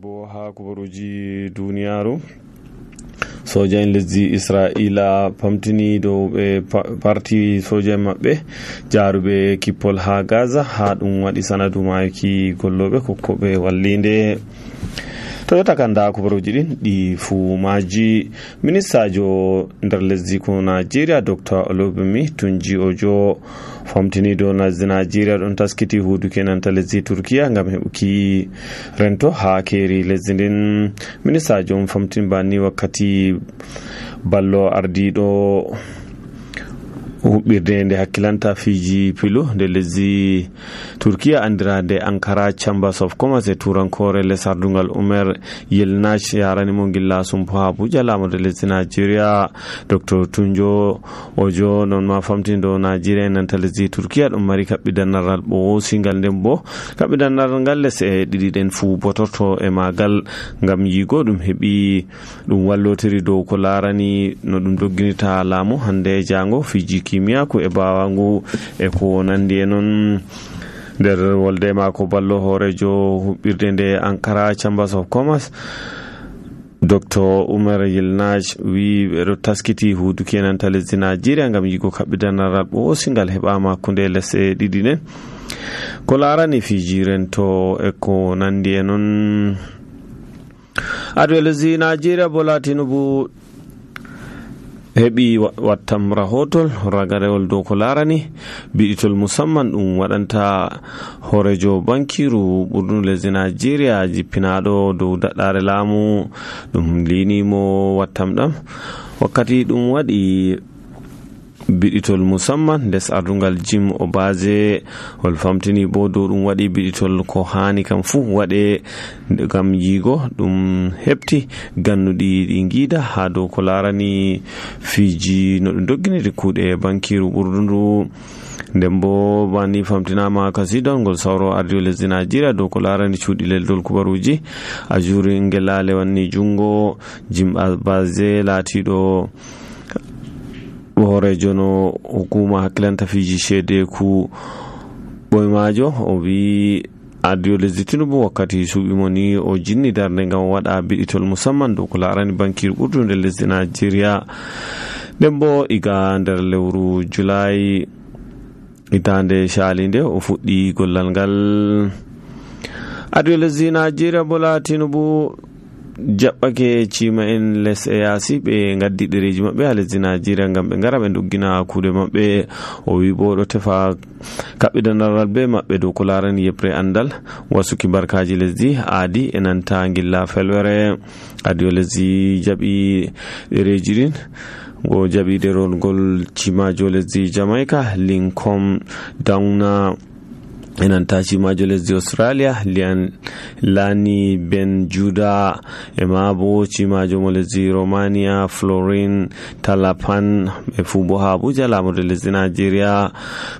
bo ha kubaruji duniyaru soja en lesdi Israila pamtini dow be parti soja mabbe jaarube kippol ha Gaza ha dum wadi sanadu maaki gollobe kokkobe wallinde to takanda kubaruji din di fu maji ministajo nder lesdi ko Nigeria Dr. Olubimi Tunji Ojo famtini do Nigeria don taskiti hudu kenan ta lesdi Turkiya ngam hebuki rento ha keri lesdi din ministajo famtin bani wakkati ballo ardido hubbirde nde hakkilanta fiji pilu nde lesdi Turkiya andirade Ankara Chambers of Commerce e turankore lesardungal Umar Yilmaz yarani mo gilla sumpo ha Abuja lamude lesdi Nigeria Dr. Tunjo Ojo non ma famtindo Nigeria nanta lesdi Turkiya dum mari kabbidannaral bo singal dembo kabbidannaral ngal lese didi den fu botorto e magal ngam yigo dum hebi dum wallotiri dow ko larani no dum dogginita laamu hande jango fiji kimiyako e bawangu e ko nandi e non der wolde mako ballo horejo hubbirde nde Ankara Chambers of Commerce Dr. Umar Yilmaz wi bedo taskiti hudu kenan ta lesdi Nigeria ngam yigo kabbidannaral bo singal hebama kunde lesse didi nen ko larani fiji rento e ko nandi e non adu lesdi Nigeria Bola Tinubu hebi wattam rahotol ragarewol dow ko larani biditol musamman dum wadanta horejo bankiru burdun lesdi Nigeria jippinado dow daddare laamu dum linimo wattam dam wakkati dum wadi biditol musamman des ardungal Jim Obaze wol famtini bo do dum wadi biditol ko hani kam fu wade gam yigo dum hepti gannudi dingida ha do ko larani fiji no dum dogginiri kuude bankiru burdundu dembo bani famtinama kasidon gol sawro ardio lesdi Nigeria do ko larani cuudi leldol kubaruji ajuri ngelale wanni jungo Jim Obaze latido horejo no hukuma hakkilanta fiji shede ku boymajo o wi adio lesdi Tinubu wakkati suubi moni o jinni darde ngam wada biditol musamman do ko larani bankir burdunde lesdi Nigeria dembo iga nder lewru July itande shalinde o fuddi gollal ngal adio lesdi Nigeria Bola Tinubu jabbake cima en les e yasi be ngaddi dereji mabbe ha lesdi Nigeria ngam be ngara be doggina kuude mabbe o wi bo do tefa kabbidanal be mabbe do ko larani yepre andal wasuki barkaji lesdi aadi enanta ngilla felwere adio lesdi jabi dereji din go jabi deron gol cimajo lesdi Jamaica Lincoln Downa enanta cimajo lesdi Australia Lani Ben Juda e mabo cimajo mo lesdi Romania Florin Talapan e fubo ha Abuja lamude lesdi Nigeria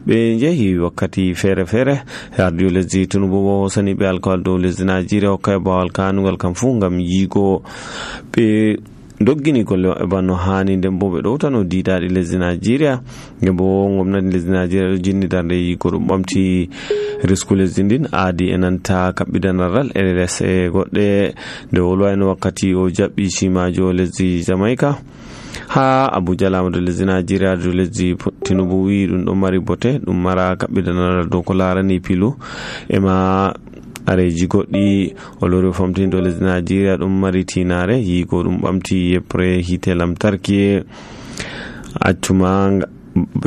be jehi wakkati fere fere radio lesdi Tinubu bo sani be alkawal do lesdi Nigeria o kay bawal kanugal kam fu ngam yigo be doggini golle e banno hani dembo be do tano didaadi lesdi Nigeria ngebo ngomnati lesdi Nigeria jinni darde yigo dum bamti risku lesdi din aadi enanta kabbidanal LS e godde de wolwayno wakkati o jabbi cimajo lesdi Jamaica ha Abuja lamude lesdi Nigeria do lesdi Tinubu wi dum do mari bote dum mara kabbidanal do ko larani pilu e ma areji goddi o lori famtindo lesdi Nigeria dum mari tinare yigo dum bamti yepre hite lamtarki accuma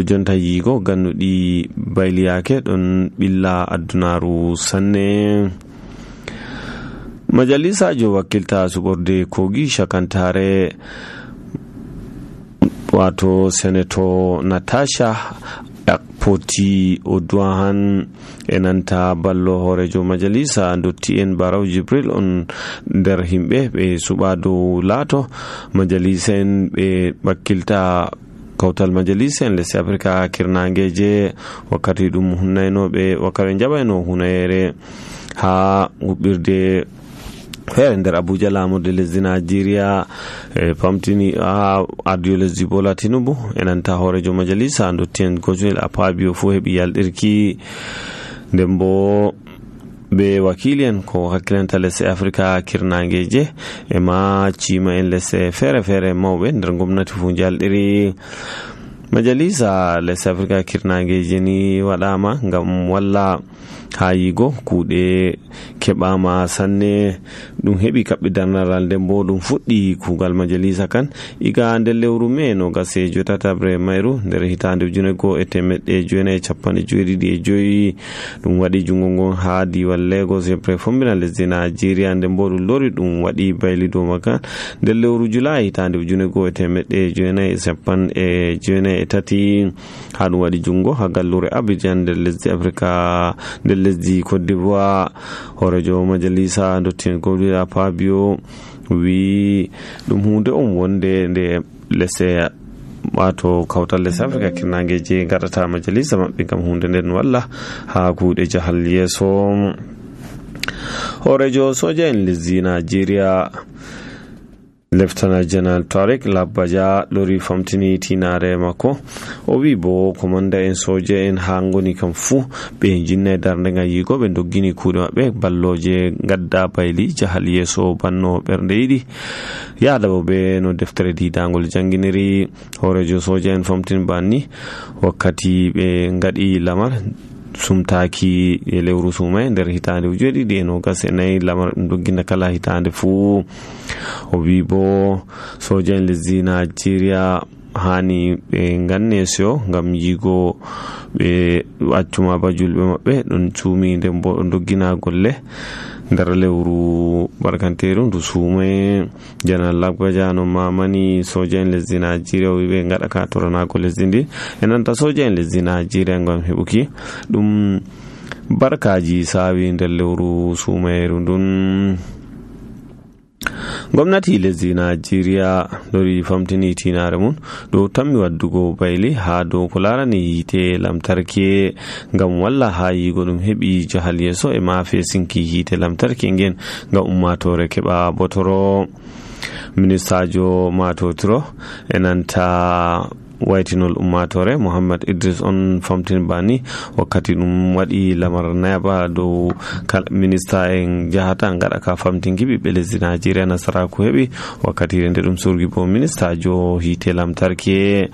jonta yigo gannudi bayliyake don billa addunaru sanne majalisa jo wakilta suborde kogi shakantare wato senator Natasha poti Odwahan enanta ballo horejo majalisa dotti en Barau Jibril on der himbe be subado lato majalisa en be bakkilta kawtal majalisa en lesdi Afrika kirnangeje wakkati dum hunnayno be wakare jabayno hunayere ha hubbirde fere nder Abuja lamude lesdi Nigeria pamtini ha adio lesdi Bola Tinubu enanta horejo majalisa dotti en Godswill Akpabio fu hebi yaldirki dembo be wakili'en ko hakkilanta lesɗe afrika kirnageje e ma cima en lesɗe fere mawɓe nder gomnati fu jalɗiri. majalisa lesɗe afrika kirnageje ni waɗama ngam walla ha yigo kuuɗe keɓama sanne ɗum heɓi kaɓɓi darnaral nden bo ɗum fuɗɗi kuugal majalisa kan iga nder lewru mai no gase jotatabre mayru nder hitande 1995 ɗum waɗi jungo ngon ha diwal Lagos e prefommbina lesdi Nigeria nden bo ɗum lori ɗum waɗi bayli dow makan nder lewru Julai hitande 1993 ha ɗum waɗi jungo ha gallure Abidjan nder lesdi Afrika nder lesdi Cote d'Ivoire. horejo majalisa dottin Godwin Fabio wi ɗum hunde on wonde nde lesɗe wato kawtal lesɗe Afrika kirnageje gaɗata majalisa maɓɓe ngam hunde nden walla ha kuuɗe jahal yeso. horejo soja en lesdi Nigeria Lieutenant General Tariq Labbaja lori famtini tinare makko o wi bo komanda en soja en ha ngoni kam fu ɓe jinna darnde nga yigo ɓe doggini kuuɗe maɓɓe balloje gadda bayli jahal yeso banno ɓernde yiɗi yaada bo ɓe no deftere didangol janginiri. horejo soja en famtini banni wakkati ɓe ngaɗi lamar sumtaki e lewru sumai nder hitande 2024 lamar ɗum dogginta kala hitande fu. o wi bo soja en lesdi Nigeria hani ɓe ganne seyo ngam yigo ɓe accuma ba julɓe maɓɓe ɗon cuumi nden bo ɗon doggina golle nder lewru barkanteru ndu sumai. General Lagbaja no mamani soja en lesdi Nigeria ɓe ngaɗa ka toranago lesdi ndi e nanta soja en lesdi Nigeria ngam heɓuki ɗum barkaji sawi nder lewru sumairu ndun. gwamnati lesdi Nigeria lori famtini tinare mun ɗo tammi waddugo bayli ha dow ko larani hite lamtarki ngam walla ha yigo ɗum heɓi jahal yeso e ma fesinki hite lamtarki ngen ngam ummatore keɓa botoro. ministajo matotiro e nanta waytinol ummatore Muhammad Idris on famtin bani wakkati ɗum waɗi lamar nayaba dow minista en jahata ngaɗa ka famtinki ɓiɓɓe lesdi Nigeria nasaraku heɓi wakkati nde ɗum surgi bo ministajo hite lamtarki.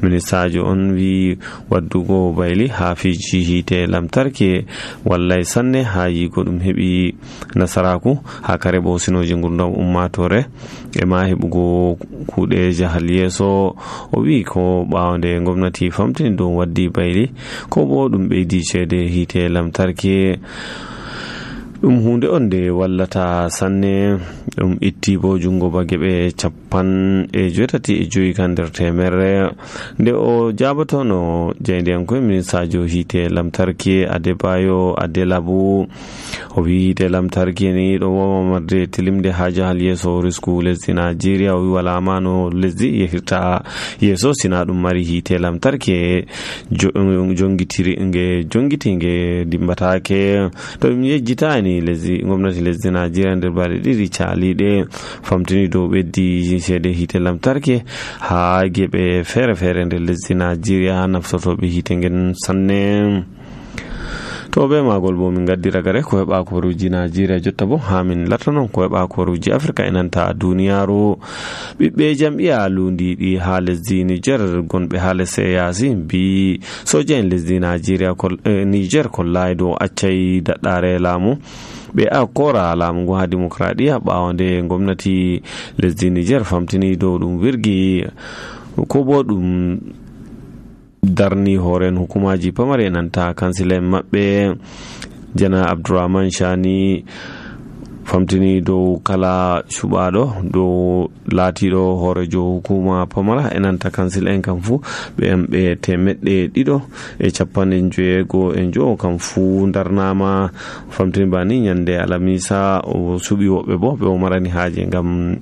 ministajo on wi waddugo bayli ha fiji hite lamtarki wallay sanne ha yigo ɗum heɓi nasaraku ha kare bo sinoji gurdam ummatore e ma heɓugo kuuɗe jahal yeso. o wi ko ɓawde gwamnati famtini dow waddi bayli ko bo ɗum ɓeydi ceede hite lamtarki ɗum hunde on nde wallata sanne. ɗum itti bo jungo ba geɓe 85 kan nder temere nde o jabatono jeydiyankoe ministajo hite lamtarki Adebayo Adelabu. o wi hite lamtarki ni ɗo wawa marde tilimde ha jahal yeso risku lesdi Nigeria. o wi wala ma no lesdi yehirta yeso sina ɗum mari hite lamtarki jongitinge dimbatake. to ɗum yejjitani gwamnati lesdi Nigeria nder balɗe ɗiɗi caliɗe famtini dow ɓeddi ceede hite lamtarki ha geɓe fere nder lesdi Nigeria ha naftotoɓe hite ngen sanne. to be magol bo min gaddi ragare ko heɓa koruji Nigeria jotta bo ha min lartanon ko heɓa koruji Afrika e nanta duniyaru. ɓiɓɓe jam'iya lundiɗi ha lesdi Niger gonɓe ha lesse yasi bi soja en lesdi Niger kollai dow accay daɗɗare laamu ɓe kora laamu ngo ha demokradiya ɓawande gwamnati lesdi Niger famtini dow ɗum wirgi ko bo ɗum darni horen hukumaji pamare nanta kansila maɓɓe. jana Abdourahman Chani famtini dow kala cuɓaɗo dow laatiɗo horejo hukuma pamara e nanta kansil en kam fu ɓe 150 kam fu darnama famtini bani nyande alamisa o suɓi woɓɓe bo ɓe o marani haaje ngam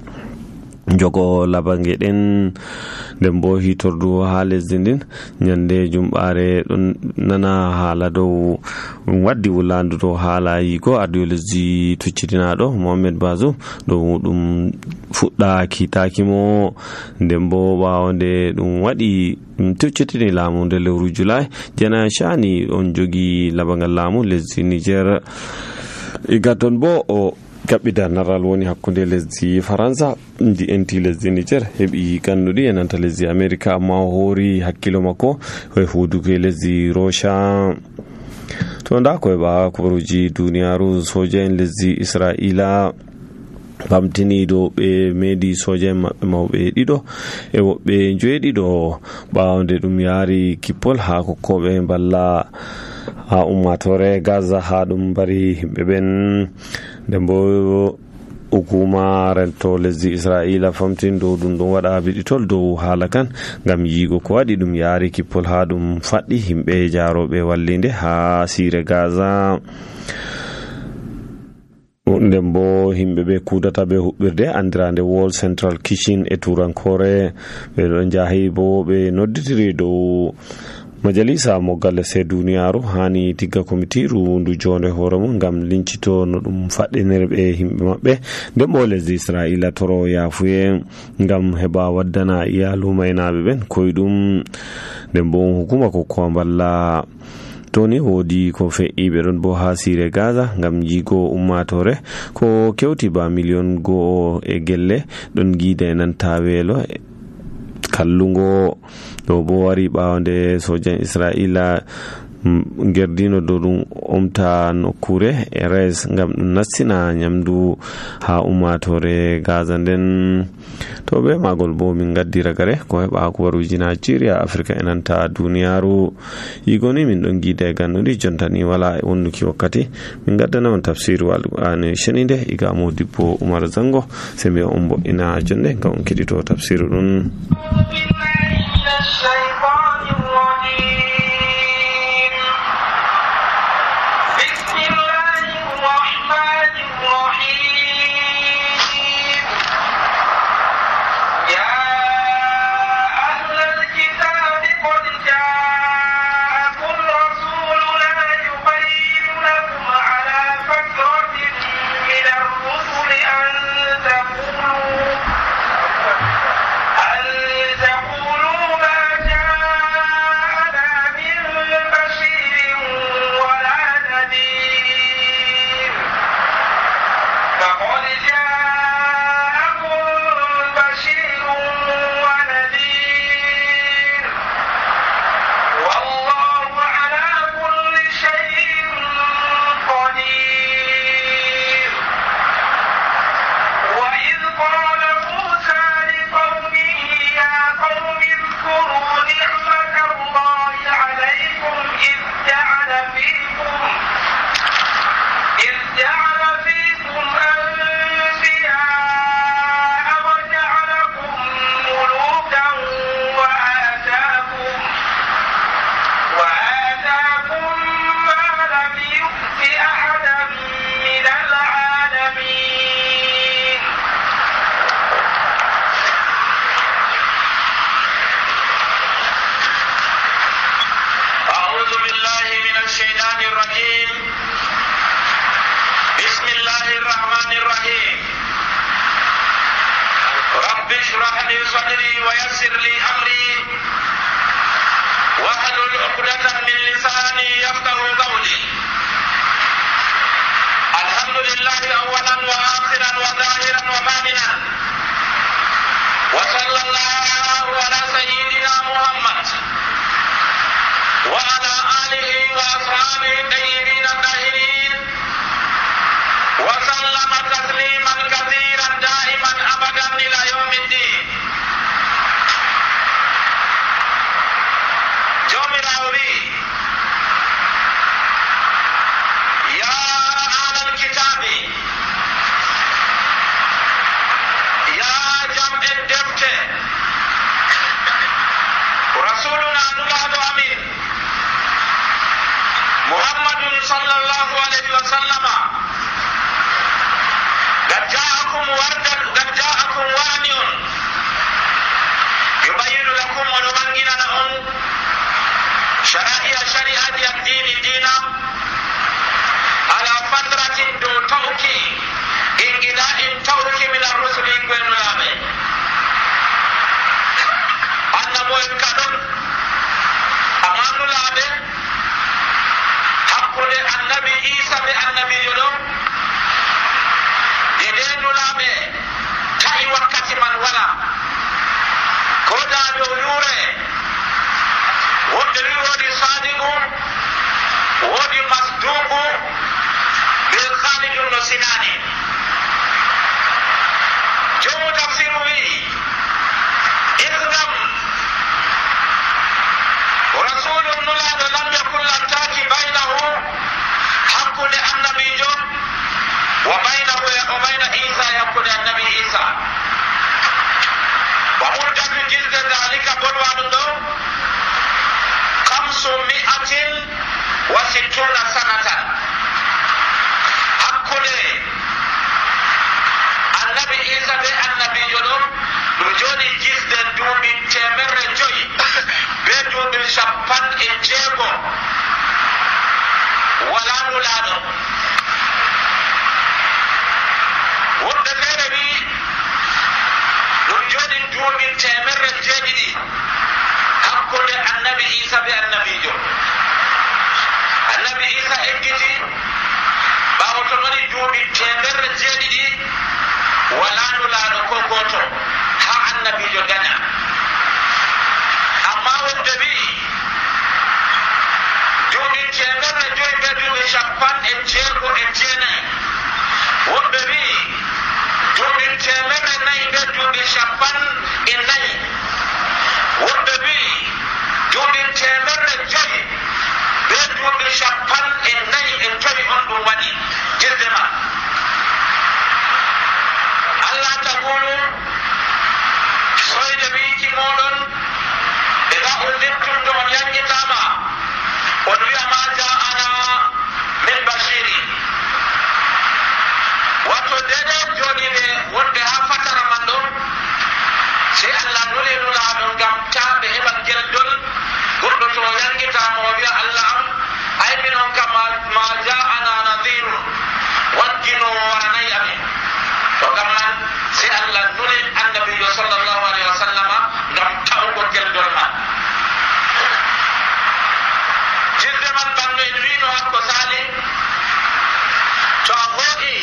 jogo labange ɗen nden bo hitordu ha lesdi ndin nyande jumɓare ɗon nana haala dow waddi wulandu dow haala yigo ardiyo lesdi tuccitinaɗo Mohamed Bazoum dow ɗum fuɗɗa kitakimo nden bo ɓawde ɗum waɗi tuccitini laamu nde lewru Julai jana Chani on jogi labangal laamu lesdi Niger. iga ton bo o gaɓɓida naral woni hakkunde lesdi faransa ndi enti lesdi niger heɓi gannuɗi e nanta lesdi america amma o hoori hakkilo makko e huudugo lesdi rocha to nda ko heɓa kubaruji duniyaru soja en lesdi israila bamtini do ɓe meedi soja en maɓɓe mawɓe ɗiɗo e woɓɓe joweeɗiɗo ɓaawde ɗum yaari kippol ha kokkoɓe balla ha ummatore Gaza ha ɗum bari himɓe ɓen nden bo hukuma rento lesdi Israila famtin dow ɗum ɗon waɗa biɗitol dow haala kan ngam yiigo ko waɗi ɗum yaari kippol ha ɗum faɗɗi himɓe jaaroɓe wallinde ha siire Gaza. Nden bo himɓe ɓe kudata ɓe huɓɓirde andirande World Central Kitchen e turankore ɓe ɗon jahi bo ɓe nodditiri dow majalisa moggal lesɗe duniyaru hani tigga komitiru ndu jonde hoore mum ngam lincito no ɗum faɗɗinirɓe himɓe maɓɓe nden bo lesdi Israila toro yafuye ngam heɓa waddana iyalu maynaɓe ɓen koyɗum nden bo hukuma kokkowa balla toni woodi ko fe'i ɓe ɗon bo ha siire Gaza ngam jiigo ummatore ko kewti ba million go e gelle ɗon giida e nanta weelo kallungo ɗo bo wari ɓaawde sojan Israila gerdino dow ɗum omta nokkure e res ngam ɗum nastina nyamdu ha ummatore Gaza nden to ɓe magol bo min gaddi ragare ko heɓa kubaruji Nigeria Africa e nanta duniyaru yigoni min ɗon giida e gannuɗi jontani wala e wonnuki wakkati min gaddana on tafsiru alqur'ani shenide iga Modibbo Umar Zango se mi on boɗɗina jonde ngam on keɗito tafsiru ɗum. Hakkude annabi Isa be annabi Jodo luure wonde wi woodi sadiqu woodi masduqu ɓe khalidun no sinani. jomu tafsiru wi islam rasulun nulaɗo lam yakun lantaki baynahu hakkunde annabijo wa bayna isa hakkunde annabi isa wa muddatu jilde dalika bonwaɗum ɗo 560 sanatan hakkunde annabi isa be annabijo ɗo ɗum joni jilde duuɓi 500 be duuɓi 60 wala nulaɗo. wonɓe feere wi ɗum joni duuɓi 100 hakkunde annabi isa be annabijo. annabi isa ekkiti ɓawo to woni duuɓi 100 wala nulaɗo ko goto ha annabijo daña. amma wonde wi duuɓi 100 be duuɓi 60 wonɓe wi duuɓi 400 be duuɓi 40 wonɓe wi duuɓi 500 be duuɓi 45 on ɗum waɗi jirde ma. allah tagulu soyde wiiki moɗon ɓeɗa undittum to on yangitama on wi'a ma ja'ana min bashiri. wato dede joniɓe wonde ha fatara man ɗo sey allah nuli nulaɗo ngam ta ɓe heɓa geldol goɗɗo to yangitama o wi'a allah am ay minon kam ma ja'ana nadirun wagginowo waranayi amin. to gam man sey allah nuli annabijo sallllahu alayhi wa sallama ngam tawgo geldol man. jirde man banno en wino hakko sali to a hooɗi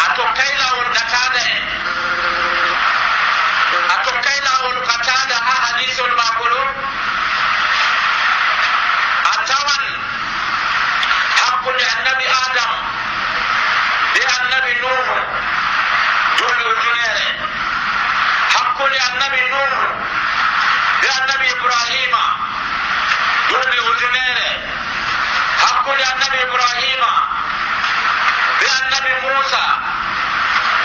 a tokkay lawol ɗatada en a tokkay lawol katada ha hadisol mako ɗo a tawan hakkunde annabi adam be annabi nuhu duuɓi ujunere, hakkunde annabi nuhu be annabi ibrahima duuɓi ujunere, hakkunde annabi ibrahima be annabi musa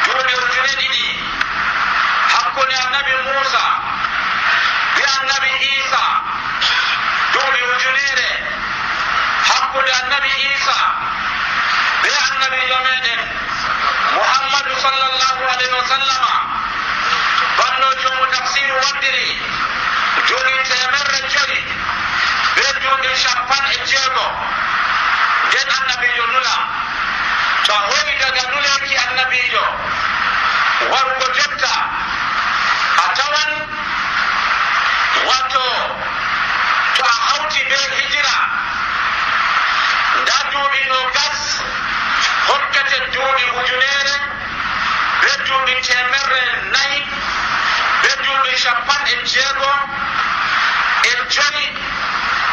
duuɓi 2,000, hakkunde annabi musa be annabi isa duuɓi 1,000, hakkunde annabi isa be annabi yomeɗen muhammadu sallllahu alayhi wa sallama banno jomu tafsiru waddiri duuɓi 500 be duuɓi 60 nden annabijo nula. to a hoyi daga nuleki annabijo warugo jotta a tawan wato to a hawti be hijira nda duuɓi 20 hokkete duuɓi 1,000 be duuɓi 400 be duuɓi 60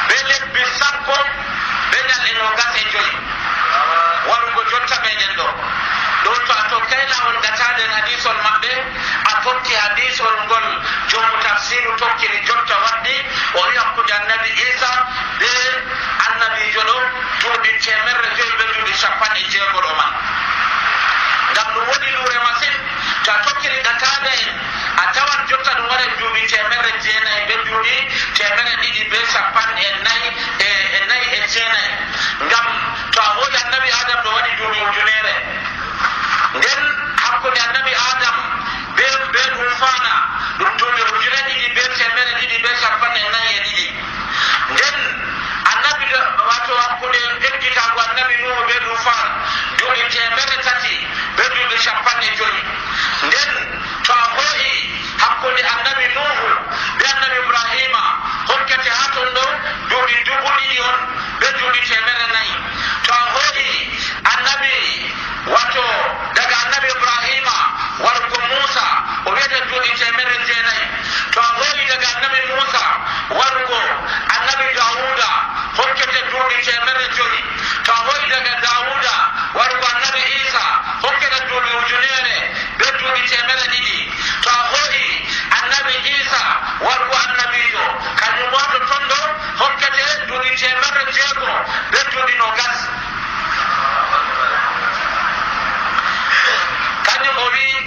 be lebbi 10 be ñalɗe 25 warugo jotta meɗen ɗo to a tokkay lawol gataden hadisol maɓɓe a tokki hadisol ngol jomu tafsiru tokkiri jotta waddi o wi hakkude annabi isa be annabijo ɗo duuɓi 500 be duuɓi 60 ɗo man. ngam ɗum woɗi luure masin. to a tokkiri gatade en a tawan jotta ɗum waɗa duuɓi 900 be duuɓi 200 be 49 ngam to a hoyi annabi adam ɗo waɗi duuɓi 1,000 nden hakkude annabi adam be ɗum fana ɗum duuɓi 2,000 be 200 be 42 nden annabi wato hakkude ekkitago annabi nuhu be ɗum fan duuɓi 300 be duuɓi 50 nden to a hoyi hakkude annabi nuhu be annabi ibrahima hokkete ha ton ɗo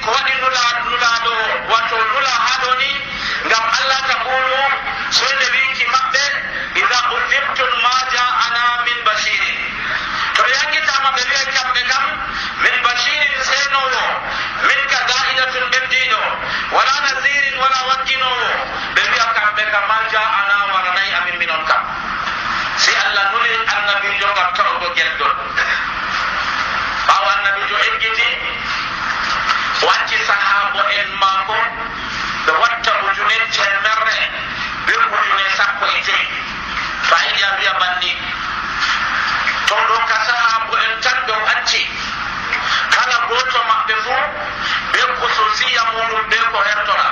ko waɗi nulaɗo wato nula haɗo ni ngam Allah taqulu soyde wiki maɓɓe idha udhibtum ma ja'ana min bashirin to ɓe yankitama ɓe wiya kamɓe kam min bashirin senowo min ka da'idatun ɓeddiɗo wala nasirin wala wakkinowo ɓe wiya kamɓe kam ma ja'ana waranayi amin minon kam si Allah nuli annabijo ngam tawgo geldol ɓawo annabijo eggiti wacci sahabo en maako ɓe watta ujune temerre be ujune 15 fayiɗi a wiya banni to ɗo ka sahabo en tan ɓe wacci kala goto maɓɓe fuu be khususiya muɗum be ko hertora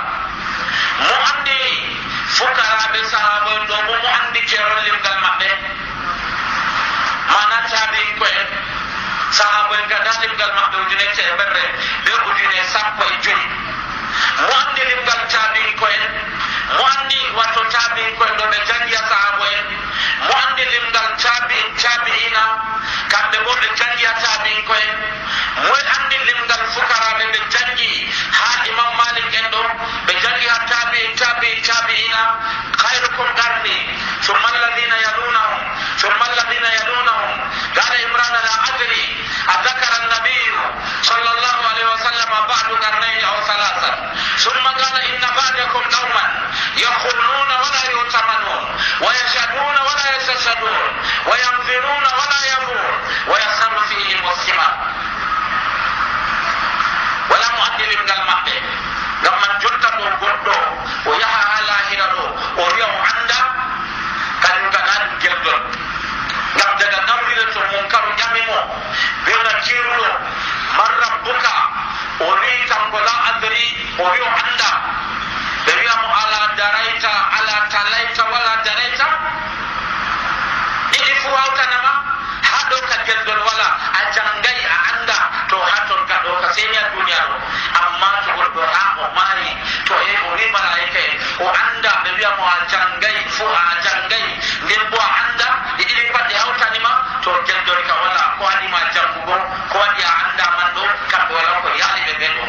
mo andi fukaraɓe sahabo en ɗo bo mo andi kerollimgal maɓɓe mana tabi'in ko en sahabo en gada limgal maɓɓe ujune temerre be ujune 15 mo andi limgal tabi'in ko en mo andi wato tabi'in ko en ɗo ɓe jangiya sahabo en mo andi limgal tabi'ina kamɓe bo ɓe jangiya tabi'in ko en moy andi limgal fukaraɓe ɓe jangi ha imam malik en ɗo ɓe jangi ha tabi'ina khairukum qarni thumma alladhina yalunahum thumma alladhina yalunahum qala imran la adri adhakara an-nabiy sallallahu alaihi wasallam ba'du qarnayn aw thalatha thumma qala inna ba'dakum qauman yakhuluna wa la yutamanun wa yashhaduna wa la yastashhadun wa yanziruna wa la yabur wa yasaru fihi muslima wala mu'addilim gal maɓɓe ngam man jotta ɗo goɗɗo o yaha ha lahira ɗo o wiya o anda kañum ka naɗum geldol ngam daga nawrire to munkaru ƴamimo bewna kiruɗo man rabbuka o wi kanko la adri o wi o anda ɓe wiyamo ala darayta ala talayta wala darayta ɗiɗi fu hawtanama ha ɗo ka geldol wala a jangayi a anda to haton ka ɗo ka seni a duniya ɗo amma to goɗɗo ha o maari to e o wi malaika en o anda ɓe wiyamo a jangayi fu a jangayi nden bo a anda ɗi ɗiɗi pat ɗi hawtanima to geldol ka wala ko waɗima jangugo ko waɗi a anda man ɗo kamɓe wala ko yaali ɓe ɓen ɗo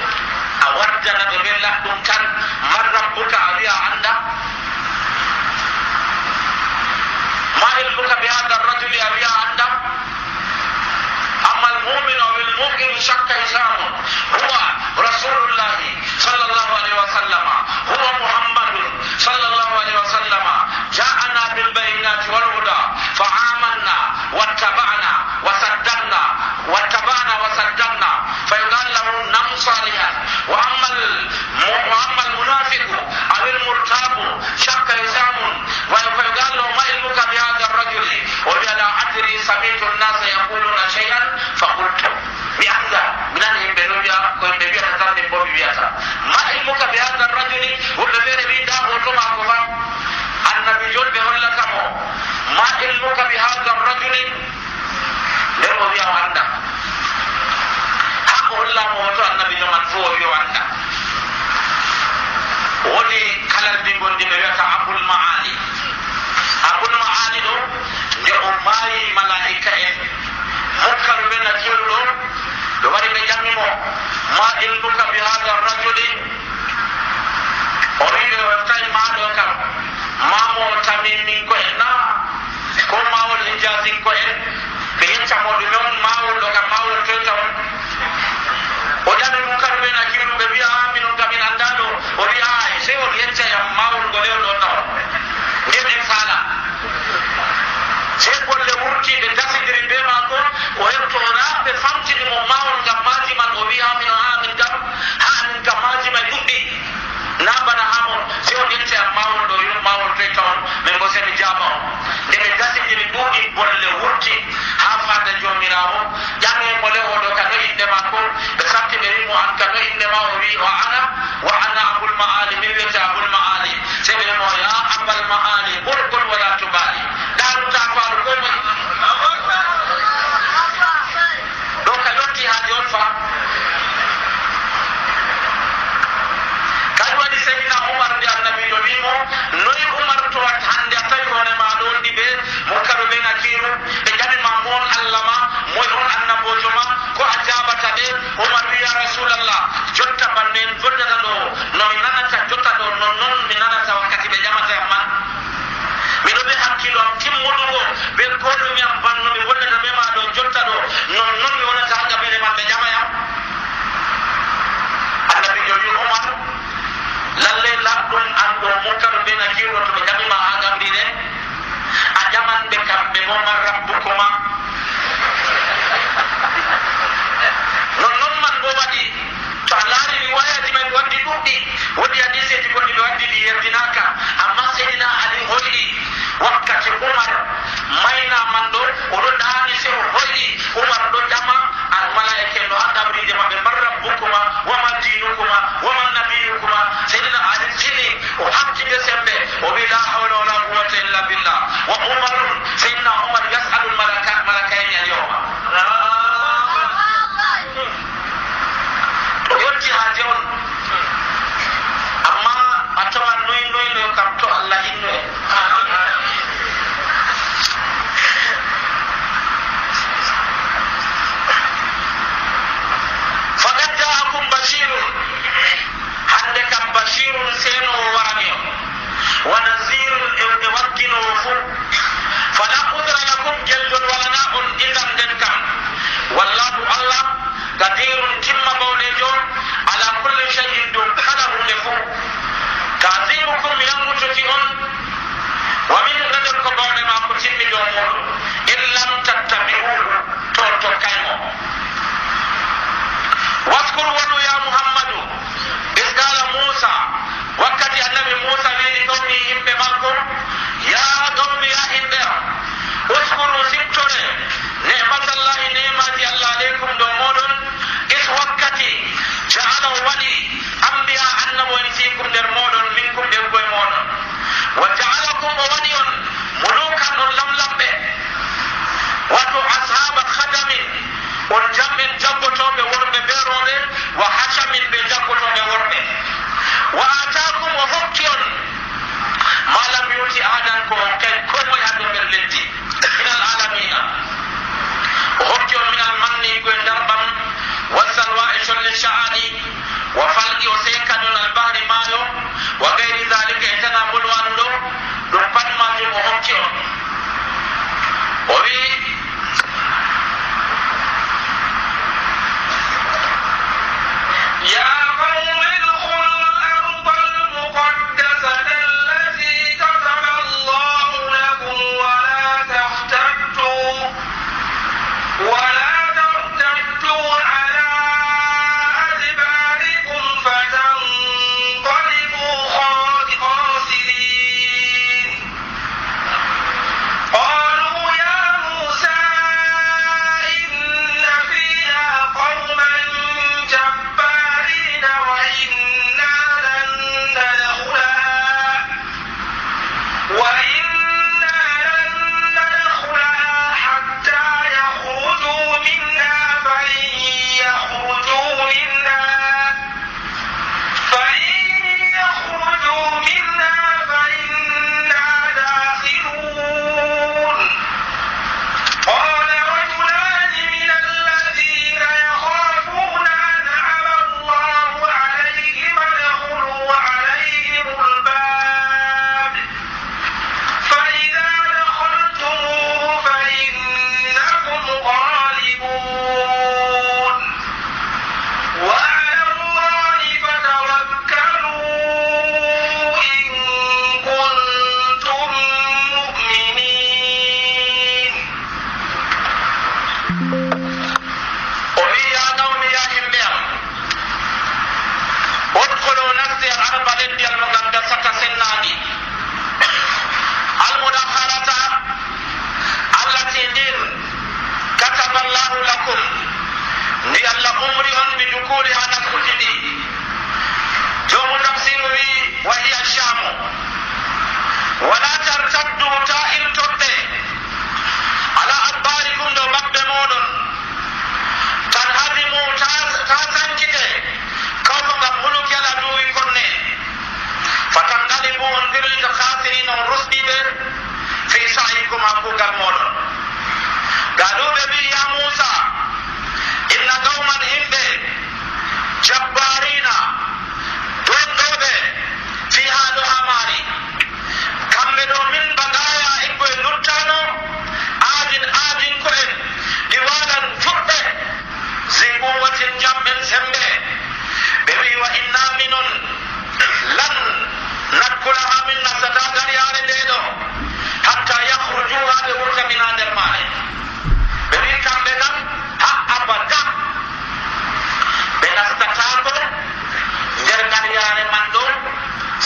a waddana ɓe ɓen laɗɗum tan man rabbuka a wiya a anda ma ilmuka bi hada rajuli a wiya a anda amma almu'minu aw almu'minu shakka hisamun huwa rasulullahi sallallahu alaihi wasallam huwa muhammadun sallallahu alaihi wasallam ja'ana bil bayinati wal huda fa amanna wattaba'na wasaddaqna fa yuqal lahu nam salihan wa amma almunafiqu aw almurtabu shakka hisamun wa yuqal lahu ma ilmuka bi hadha ar-rajuli wa la adri sami'tu an-nasa yaquluna shay'an faqultu bi anda minan himɓe ɗo wiya ko yimɓe wiyata tan min bo mi wiyata ma ilmuka bi hadha ar-rajuli woɓɓe feere wiida hoto maako fa annabi jolɓe hollata mo ma ilmuka bi hadha ar-rajuli nden o wiya o anda ha o hollamo hoto annabi jo man fo o wiya o anda woni kalal ndi gondi ɓe wiyata abul maali ɗo nde o maayi malaika en mokkaru ɓe nakiru ɗo ɓe wari ɓe ƴamimo ma ilmuka bi hada rajuli o wi ɓe weftayi maɗo kam mamo tamimin ko en na ko mawol hijazin ko en ɓe yeccamo ɗume on mawol ɗo kam mawol toyta on o ƴami mukkaru ɓe nakiru ɓe wiya minon kam min anda ɗo o wi ay sey on yeccayam mawol ngole on ɗo taw nden en faala sey golle wurti ɓe dasidiri be maako o heɓtona ɓe famtinimo mawol ngam maaji man o wi hamin hamin kam ha amin kam maaji may ɗuɗɗi na bana hamon sey on yette am mawol ɗo yo mawol toyta on min bo semi jaaba on nde ɓe dasidiri ɗuuɗi bolle wurti ha fada jomirawo ƴame mole oɗo ka no inde maako ɓe sabti ɓe wimo an ka no inde ma o wi wa ana abul maali min wiyete abul maali sey ɓe wimo ya abal maali ɓurgol wala tubali ɗaruta faaru koy moy ɗo ka yotti ha jon fa kadi waɗi seydina oumar nde annabijo wimo noyi oumar towat hande a tawi hoore maɗo wonɗi ɓe mokkaɓe ɓe nakiru ɓe ƴamima mon allah ma moy on annabojo ma ko a jabata ɓe oumar wi ya rasulallah jotta be nakirɗo to ɓe ƴamima ha gamrine a ƴaman ɓe kamɓe bo man rabbukuma non man bo waɗi to a laari riwayaji men waddi ɗuɗɗi woodi hadiseji goɗɗi ɓe waddi ɗi yerdinaka amma seydina ali hoyɗi wakkati umar mayna man ɗo oɗo ɗaani se o hoyɗi umar ɗo ƴama almalaike no ha gamrije maɓɓe man rabbukuma waman dinukuma waman nabiyukuma seydina ali tini o hakkide sembe o wi la hawla wala quwata illa billah wa umarun seydina umar yasalu malakaini al yawma yotti haaje on amma a tawan noynoyno kam to allah hinno en faqad jaakum bashirun hande kam bashirun senowo warani on wa nazirun e wagginowo fu fala udra lakum geldon walana on idan nden kam wallahu allah qadirun timma bawɗejo ala kulli shay'in dow kala hunde fu tazirukum yangutoti on wa min nden ko bawɗe ma ko timmi dow muɗum in lam tattabi'uhu to tokkaymo waskuru waɗu ya muhammadu is qala musa wakkati annabi musa wiɗi qawmi yimɓe makko ya qawmi ya himɓe uskuru siftore nematallahi nemaji allah aleykum dow moɗon is wakkati jaala waɗi ambiya annabo en fiikum nder moɗon minkum ɓengoye moɗon wa jaalakum o waɗi on mulukan on lamlamɓe wato ashaba khadamin on jamɓen jaggotoɓe worɓe be rooɓe wa hacamin ɓe jaggotoɓe worɓe wa atakum o hokki on malam yuti adan ko kay komoye ha ɗo nder leddi minal alamina o hokki on minal manni goye darɓam wasalwa e colle sha'ani wa falqi o sekaɗon albahri maayo wa gayri dalika e tana bolwanu ɗo ɗum pat majum o hokki on o wi ya qawmi udkhulu al-arda al-muqaddasata allati kataba Allahu lakum wa la tahtaddu ala adbarikum fatanqalibu khasirin qalu ya Musa inna fiha qawman jabbarin wa inna lan nadkhulaha hatta yakhruju minha فإن يخرجوا منها فإنا داخلون قال رجلان من الذين يخافون أنعم الله عليهم ادخلوا عليهم الباب فإذا دخلتموه فإنكم غالبون وعلى الله فتوكلوا إن كنتم مؤمنين وهي يا قوم يا همبيا ادخلوا نفسي الأرض التي المقدسة سناني المدخلة التي دين كتب الله لكم ni allah umri on ɓe dukuli ha nakkuti ɗi jomu tafsir wi wa hiya shamu wala tartaddu ta iltoɗɗe ala adbarikum dow maɓɓe moɗon tan hadimu ta sankite kawko ngam muluki ala duwi konne fatangalibu on birlito khasirina on rusɗiɓe fi sa'ikum ha kugal moɗon gaɗuɓe wi ya musa inna qawman himɓe jabbarina donɗoɓe fi haɗo ha maari kamɓe ɗo min bagaya e koye luttano aadin ko en ɗi walan fuɗɗe ziguwatin jamɓen sembe ɓe wi wa inna minon lan nakku hakkulaha min nastata dariyare nde ɗo hatta yahrujuha ɓe wurta min ha nder maare ɓe wi kamɓe kam ha abada ɓe nastatako nder dariyare man ɗo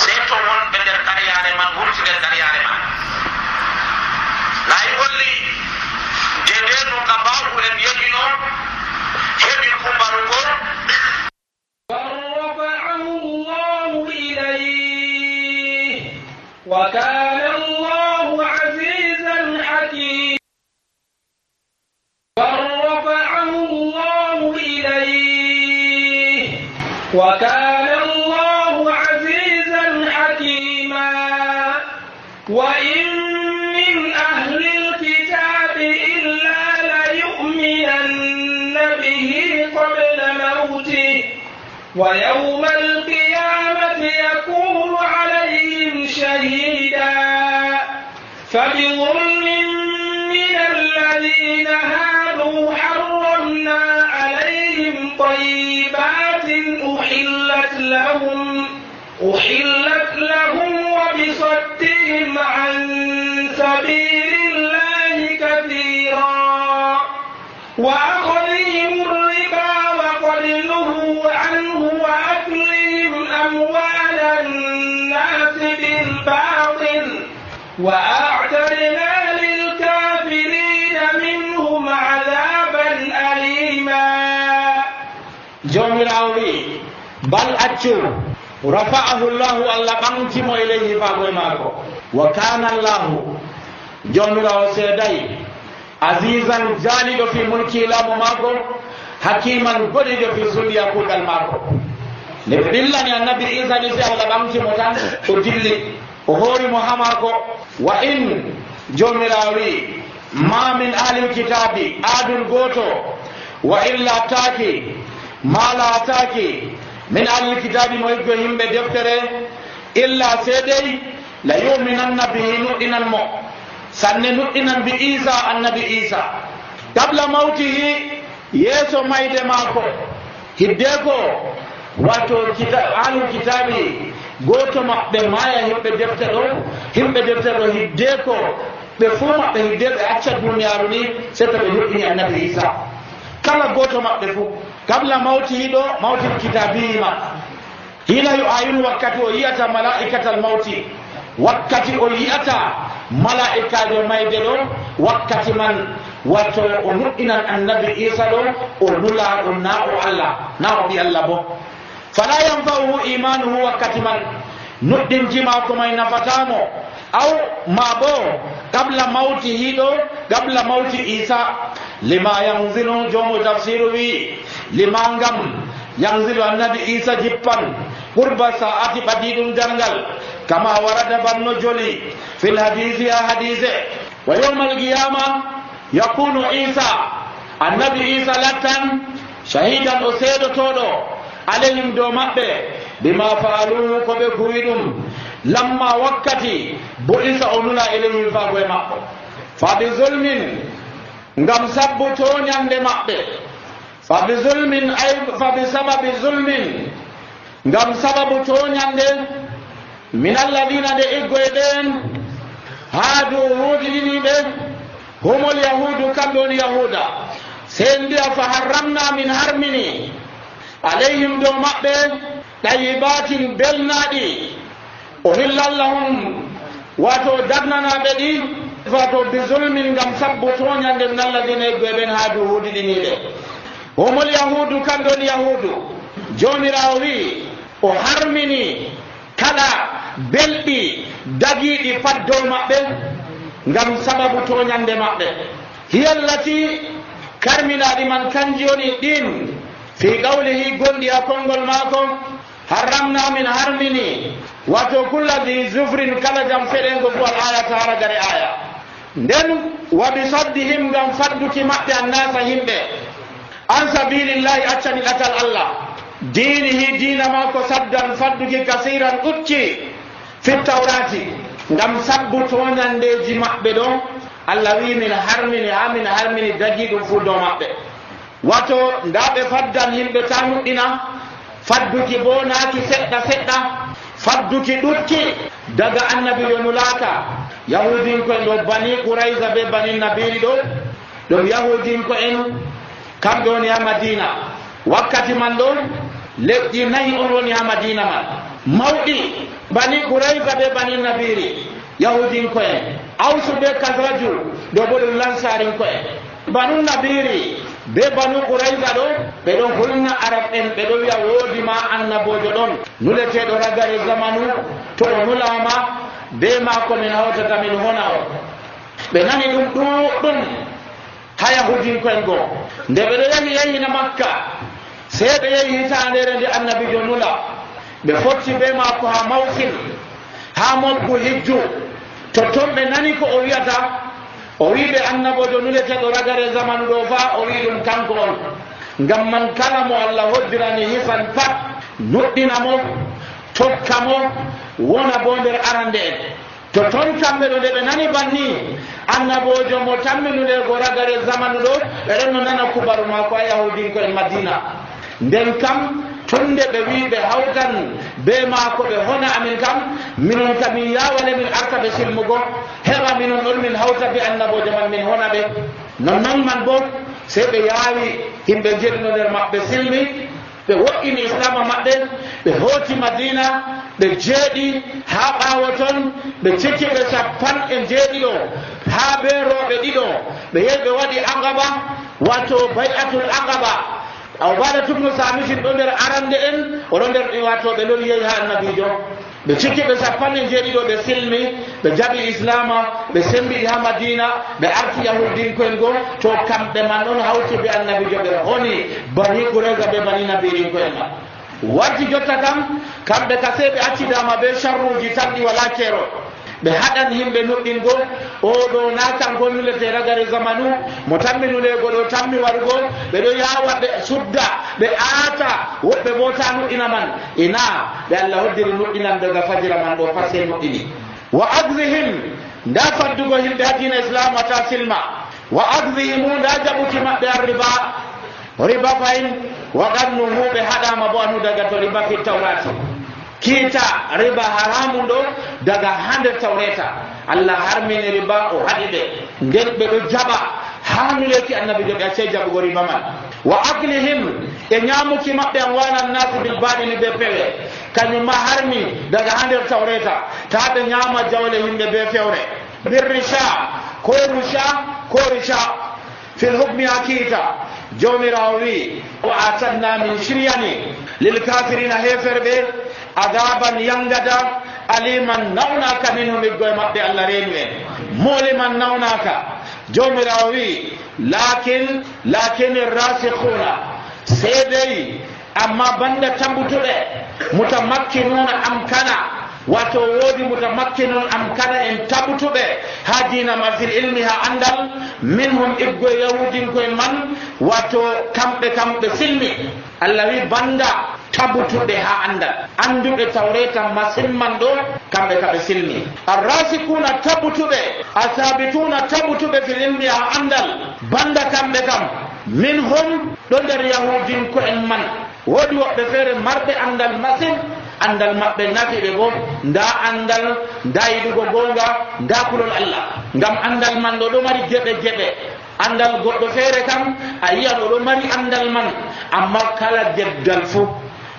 sey to wonɓe nder dariyare man wurti nder dariyare man nayi holli dede no kabaru en yehino heɓi kumbarugo وكان الله عزيزا حكيما فرفعه الله إليه وكان الله عزيزا حكيما وإن من أهل الكتاب إلا ليؤمنن به قبل موته ويوم القيامة يكون عليهم شهيدا فبظلم من الذين هادوا حرمنا عليهم طيبات أحلت لهم وبصدهم عن سبيل الله كثيرا وأخذهم الربا وقد نهوا عنه وأكلهم أموال الناس بالباطل وأعتدنا للكافرين منهم عذابا أليما جميراوي بل أتشو رفعه الله الله بانتم إليه فاغوماكو وكان الله جميراو سيداي عزيزا جالد في ملكي لا مماكو حكيما قدد في سليا كوكال ماكو لبدلني النبي عيسى نسي الله بانتم تان ودلي وهوري محماكو وإن جميراوي ما من أهل الكتاب آدل غوتو وإلا تاكي ما لا تاكي من أهل الكتاب مويقهم بدفتره إلا سيدي لا يؤمنن به نؤمن المو سننؤمن بإيسى النبي إيسى قبل موته يسو مايد ماكو هديكو واتو أهل الكتاب goto maɓɓe maya himɓe deftero hiddeko ɓe fuu maɓɓe hidde ɓe acca duniyaru ni sei to ɓe yuɗɗini annabi isa kala goto maɓɓe fuu kabla mawti hiɗo mawtil kitabiyima hila yo ayinu wakkati o yiyata malaikatal mawti wakkati o yiyata malaikajo mayde ɗo wakkati man watto o nuɗɗinan annabi isa ɗo o nula ɗum na o allah na o ɓi allah bo fala yanfa'uhu imanuhu wakkati man nuɗɗinki mako may nafatamo aw ma bo qabla mawti hiɗo qabla mawti isa lima yanzilu jomo tafsiru wi lima ngam yanzilu annabi isa jippan qurba sa'ati ɓadiɗum jangal kama warada banno joli fil hadisi ya hadise wa yawma alqiyama yakunu isa annabi isa lattan shahidan o seedotoɗo alayhim dow maɓɓe bima faaluhu ko ɓe kuwi ɗum lamma wakkati bo isa o nula ilayhim fago e maɓɓe fa bi zulmin ngam sabbu toñande maɓɓe fa bi zulmin ay fa bi sababi zulmin ngam sababu toñande min alladina nde iggoye ɗen haadu huuɗiɗiniɓe humol yahudu kamɓe woni yahuda sen mbiya fa harramna min harmini alayhim dow maɓɓe ɗayibatin belnaɗi o hillallahum wato dagnanaɓe ɗi wato bi zulmin ngam sabbu toñande min alladina iggoye ɓen haadu huuɗiɗiniɓe humol yahudu kamɓe woni yahudu jomirawo wi o harmini kala belɗi dagiɗi pat dow maɓɓe ngam sababu toñande maɓɓe hiyallati karminaɗi man kanji woni ɗin fi qawlihi gonɗi ha konngol maako harramna min harmini wato kulla di zufrin kala jam feɗengo fu al ayata hara gare aya nden wa bi saddihim ngam fadduki maɓɓe annasa yimɓe an sabilillahi accani ɗatal allah dinihi dina maako saddan fadduki kasiran ɗucci fi tawrati ngam sabbu toñandeji maɓɓe ɗo allah wi min harmini ha min harmini dagi ɗum fu dow maɓɓe wato nda ɓe faddan yimɓe ta nuɗɗina fadduki bo naaki seɗɗa seɗɗa fadduki ɗuɗki daga annabijo nulaka yahudinko'en ɗo bani Qurayza be bani Nabiri ɗum yahudinko'en kamɓe woni ha Madina. Wakkati man ɗo leƴƴi 4 on woni ha Madina man mawɗi, bani Qurayza be bani Nabiri yahudinko'en, Awsu be Kasraju ɗo bo ɗum lansarinko'en. Banu Nabiri be banu Qurayza ɗo ɓe ɗo hulna arab en ɓe ɗo wiya woodi ma annabojo ɗon nuleteɗo ragare zamanu, to o nulama be maako min hawtata min hona o. Ɓe nani ɗum ɗuɗɗum ha yahudinko'en goo. Nde ɓe ɗo yahina Makka sey ɓe yehi hitandere nde annabijo nula, ɓe fotti be maako ha Mawsil ha Mobgu Hijju. Totton ɓe nani ko o wiyata, o wi ɓe annabojo nuleteɗo ragare zamanu ɗo fa o wi ɗum kanko on. Ngam man kala mo Allah hoddirani hisan pat nuɗɗina mo, tokka mo, wona bo nder arande en. To ton kamɓe ɗo nde ɓe nani banni annabojo mo tamminude go ragare zamanu ɗo, ɓe ɗon no nana kubaru mako ha yahudinko'en Madina. Nden kam tunde ɓe wi ɓe hawtan be maako ɓe hona amin kam, minon kam min yawale min arta ɓe silmugo heɓa minon ɗon min hawta be annabojo man min hona ɓe. Nonnon man bo sey ɓe yaawi himɓe jeɗino nder maɓɓe silmi, ɓe wo'ini islama maɓɓe, ɓe hooti Madina, ɓe jeeɗi ha ɓaawo ton, ɓe cikki ɓe 17 ha be rooɓe ɗiɗo, ɓe yehi ɓe waɗi Aqaba, wato bay'atul Aqaba. Aw bada tubnu samisin ɗo nder arande en, oɗo nder wato ɓe lori yehi ha annabijo. Ɓe cikki ɓe 17 ɓe silmi, ɓe jaɓi islama, ɓe sembiɗi ha Madina, ɓe arti yahudinko'en goo. To kamɓe man ɗon hawti be annabijo, ɓe honi bani Qurayza be bani Nabirinko'en man. Waddi jotta kam kamɓe ka sey ɓe accidama be sharruji tan ɗi wala keero. ɓe haɗan yimɓe nuɗɗingo oɗo na kanko nulete ragare zamanu mo tammi nulego ɗo tammi warugo ɓe ɗo yawa ɓe sudda ɓe aata woɓɓe bo ta nuɗɗina man ina ɓe Allah hoddiri nuɗɗinan daga fajira man ɗo pat sey nuɗɗini wa adrihim nda faddugo yimɓe ha dina islam wata silma wa adrihimu nda jaɓuki maɓɓe a riba fayin waɗannu huɓe haɗama bo anu daga to riba fi tawrati kiita riba haramu ɗo daga ha nder tawreta Allah harmini riba o haɗi ɓe nden ɓe ɗo jaɓa ha nuleki annabijo ɓe accei jaɓugo riba man wa aklihim e ñamuki maɓɓe an wanan nasi bil baɗini ɓe pewe kañum ma harmi daga ha nder tawreta ta ɓe ñama jawle yimɓe be fewre bir risha ko risha fil hukmi ha kiita jomirawo wi wa atanna min shiryani lil kafirina heferɓe adaban yangada aliman nawnaka minhum iggoye maɓɓe Allah reenu en moliman nawnaka jomirawo wi lakin rasikhuna seedey amma banda tambutuɓe mutamakkinuna amkana wato woodi mutamakkinun amkana en tabutuɓe ha dina ma fil ilmi ha andal minhum iggoye yahudinkoye man wato kamɓe silmi Allah wi banda tabutuɓe ha andal anduɓe tawreta masilman ɗo kamɓe kaɓe silmi arrasikuna tabutuɓe asabituna tabutuɓe fil ilmi ha andal banda kamɓe kam minhum ɗo nder yahudinko'en man woodi woɓɓe feere marɓe andal masin andal maɓɓe nafi ɓe bo nda andal nda yiɗugo gonga nda kulol Allah ngam andal man ɗo mari geɓe andal goɗɗo feere kam a yiyan oɗo mari andal man amma kala deggal fuu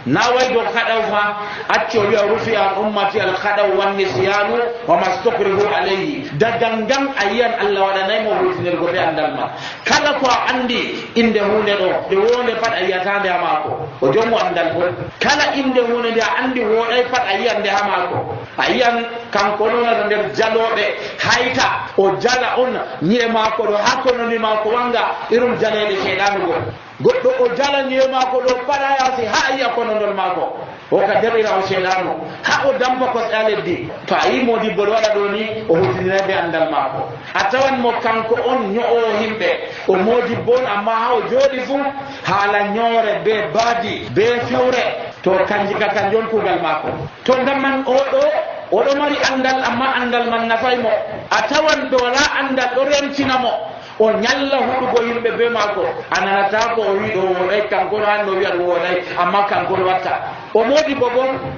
na way do kadaw fa acci o wiya rufi al ummati al khadaw wan nisyanu wa mastakrihu alayhi dagangam ayan Allah wadanay mo rufinel go be andal ma kala ko andi inde hunde do de wonde pat ayatande amako o jomo andal ko kala inde hunde de andi woday pat ayande hamako ayan kanko non nder jalobe hayta o jala on ni'e mako do hakkono ni mako wanga irum jalede shedanugo goɗɗo o jalaniye maako ɗo paɗa yaasi ha yiya konondol maako o ka derɗira o seeɗano ha o dampa kosɗe a leddi to a yi modibbo ɗo waɗa ɗo ni o hutiniraɓe andal maako a tawan mo kanko on ño'o himɓe o modibbo on amma ha o jooɗi fuu haala ñoore be baadi be fewre to kanji ka kan jon kuugal maako to ngam man oɗo mari andal amma andal man nafay mo a tawan ɗo wala andal ɗo rentina mo o ñalla huɗugo yimɓe be maako ananata ko o wi ɗo woɗay kanko han no wiya ɗo woɗay amma kanko watta o moodi bo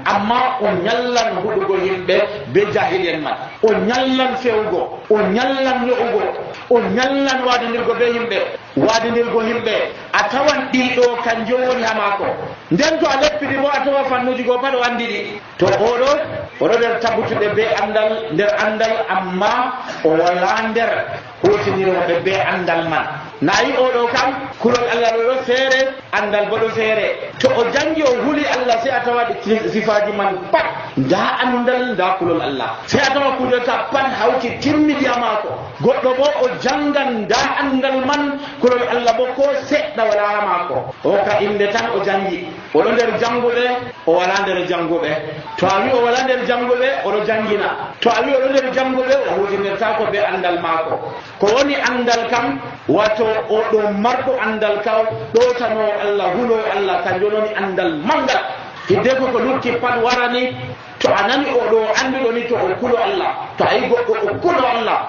amma o ñallan huɗugo yimɓe be jahilien man o ñallan fewgo o ñallan yo'ugo o ñallan waadinirgo be yimɓe waadinirgo yimɓe a tawan ɗiɗo kan jowoni ha maako nden to a leppiri bo a tawa fannuji goo pat o andi ɗi to oɗo nder tabbutuɗe be andal nder andal amma o wala nder hutiniroɓe be andal man nayi oɗo kam kulol Allah ɗo feere andal bo ɗo feere to o jangi o huli Allah sai a tawa sifaji man pat nda andal nda kulol Allah sai a tawa kudeta pat hawti timmidi ha maako goɗɗo bo o jangan nda andal man kulol Allah bo ko seɗɗa wala ha maako o ka inde tan o jangi oɗo nder janguɓe o wala nder janguɓe to a wi o wala nder janguɓe oɗo jangina to a wi oɗo nder janguɓe o hutinirta ko be andal maako ko woni andal kam wato oɗo marɗo andal kaw ɗotano Allah hulo Allah kanjum woni andal mangal hidde ko lutti pat warani to a nani oɗo anduɗo ni to o kulo Allah to a yi goɗɗo o kulo Allah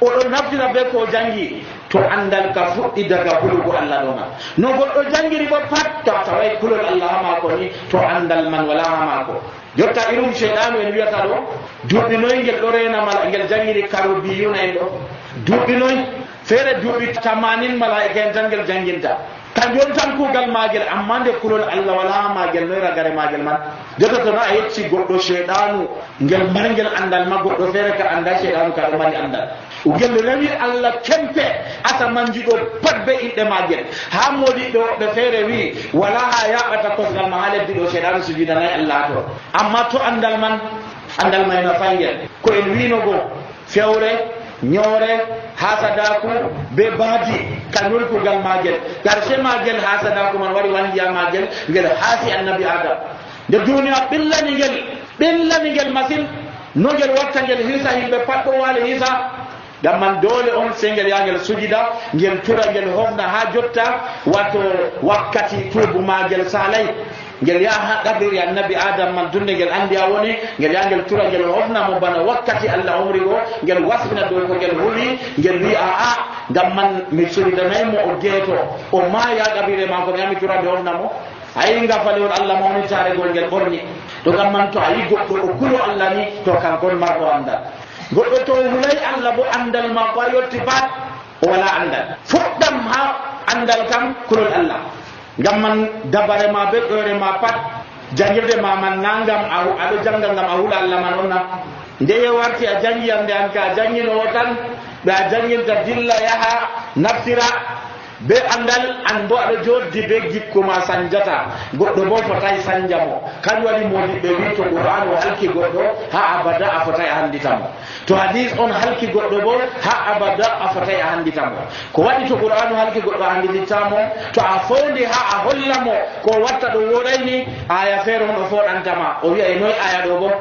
oɗo naftira be ko jangi to andal ka fuɗɗi daga hulugo Allah ɗo man no goɗɗo jangiri bo pat to taway kulol Allah ha maako ni to andal man wala ha maako jotta irum cheyɗanu en wiyata ɗo duuɓi noy ngel ɗo renamala ngel jangiri karobiyuna en ɗo duuɓi noy feere duuɓi 80 malaika en tan ngel janginta kanjum tan kuugal maagel amma nde kulol Allah wala ha maagel noy ragare maagel man jotta to no a yecci goɗɗo cheyɗanu ngel margel andal ma goɗɗo feere ka anda cheyɗanu ka ɗo mari andal ngel rewi Allah kempe asa manjiɗo pat be inɗe maagel ha modiɗɗo ɓe feere wi wala ha yaɓata kosgal ma ha leddi ɗo cheyɗanu sujudanayi Allah to amma to andal may no fangel ko en winogo fewre ñoore hasadaku be baadi kañol kugal maagel karshe maagel hasadaku man waɗi wangiya maagel ngel haasi annabi adam nde duniya ɓillani ngel masin no ngel watta ngel hisa yimɓe pat ɗo waali hisa gam man doole on se ngel yangel sujida ngel tura ngel hofna ha jotta wato wakkati tuubu maagel salay ngel yaha ɗaɓiri annabi adam man dunde ngel andi a woni ngel yangel tura ngel hofnamo bana wakkati Allah umri go ngel wasbina dow ko ngel huuli ngel wi a gam man mi suridanaymo o geeto o maya ɗaɓire mako mi yami turade hofnamo ayi ngafalewol Allah mawni taregol ngel ɓorni to gam man to a yi goɗɗo o kulo Allah ni to kankon marɗo andal goɗɗo to hulay Allah bo andal mako a yotti pat o wala andal fuɗɗam ha andal kam kulol Allah ngam man dabare ma be ɗore ma pat jangirde ma man nangam aɗo janga ngam a hula Allah man onna nde warti a jangi ande an ka janginowo tan ɓe a janginta dilla yaha naftira be andal an bo aɗa joddi be gikkuma sanjata goɗɗo bo fotay sanjamo kañum waɗi modiɓɓe wi to qur'an o halki goɗɗo ha abada a fotay a handitamo to hadis on halki goɗɗo bo ha abada a fotay a handitamo ko waɗi to qur'an o halki goɗɗo a handitittamo to a fondi ha a hollamo ko watta ɗo woɗayni aya feere on o foɗantama o wiya e noy aya ɗo bo